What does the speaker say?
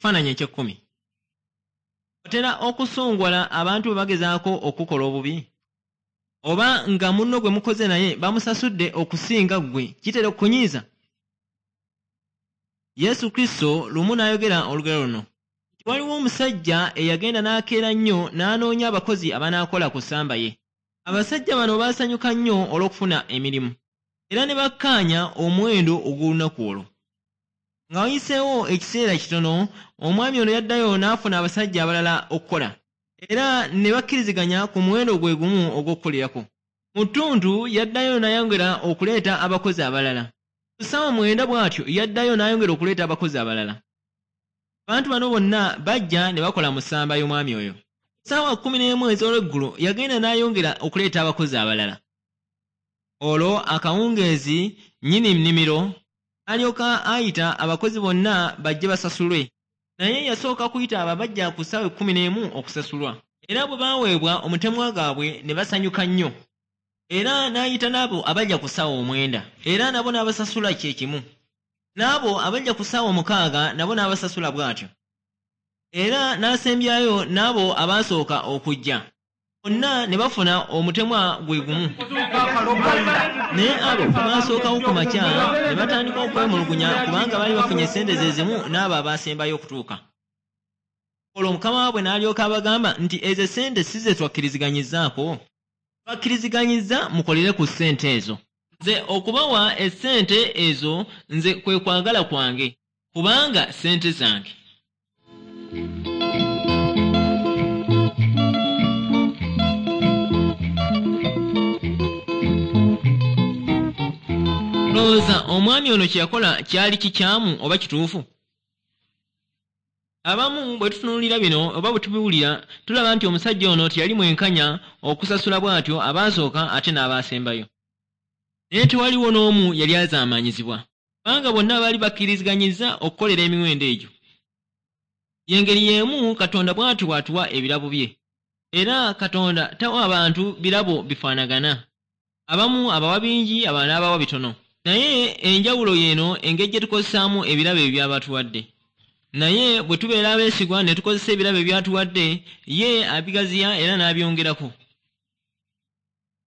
Ekifaananyi eky'ekkumi. Otera okusunguwala abantu bwe bagezaako okukukola obubi? Oba nga munno gwe mukoze naye bamusasudde okusinga ggwe, kitera okukunyiiza? Yesu Kristo lumu n'ayogera olugero luno nti waliwo omusajja eyagenda n'akeera nnyo n'anoonya abakozi abanaakola ku ssamba ye. Abasajja bano baasanyuka nnyo olw'okufuna emirimu era ne bakkaanya omuwendo ogw'olunaku olwo. Nga wayiseewo ekiseera kitono, omwami ono yaddayo n'afuna abasajja abalala okukola era ne bakkiriziganya ku muwendo gwe gumu ogw'okukolerako. Mu ttuntu yaddayo n'ayongera okuleeta abakozi abalala. Ku ssaawa mwenda bw'atyo yaddayo n'ayongera okuleeta abakozi abalala. Abantu bano bonna bajja ne bakola mu ssamba y'omwami oyo. Ku ssaawa 11 ez'olweggulo yagenda n'ayongera okuleeta abakozi abalala. Olwo akawungeezi nnyini nnimiro n'alyoka ayita abakozi bonna bajje basasulwe. Naye yasooka kuyita abo abajja ku ssaawa 11 okusasulwa. Era bwe baaweebwa omutemwa gwabwe ne basanyuka nnyo. Era n'ayita n'abo abajja ku ssaawa 9, era nabo n'abasasula kye kimu. N'abo abajja ku ssaawa 6 nabo n'abasasula bw'atyo. Era n'asembyayo n'abo abaasooka okujja. Bonna ne bafuna omutemwa gwe gumu. Naye abo abaasookawo ku makya ne batandika okwemulugunya kubanga baali bafunye ssente ze zimu n'abo abaasembayo okutuuka. Olwo mukama waabwe n'alyoka abagamba nti ezo ssente si ze twakkiriziganyizzaako? Twakkiriziganyizza mukolere ku ssente ezo. Nze okubawa essente ezo nze kwe kwagala kwange kubanga ssente zange. Olowooza omwami ono kye yakola kyali kikyamu oba kituufu? Abamu bwe tutunuulira bino oba bwe tubiwulira tulaba nti omusajja ono teyali mwenkanya okusasula bw'atyo abaasooka ate n'abaasembayo. Naye tewaliwo n'omu yali azaamaanyizibwa kubanga bonna baali bakkiriziganyizza okukolera emiwendo egyo. Y'engeri y'emu Katonda bw'atyo bw'atuwa ebirabo bye. Era Katonda tawa bantu birabo bifaanagana. Abamu abawa bingi abalala n'abawa bitono. Naye enjawulo y'eno engeri gye tukozesaamu ebirabo ebyo by'aba atuwadde. Naye bwe tubeera abeesigwa ne tukozesa ebirabo by'atuwadde, ye abigaziya era n'abyongerako.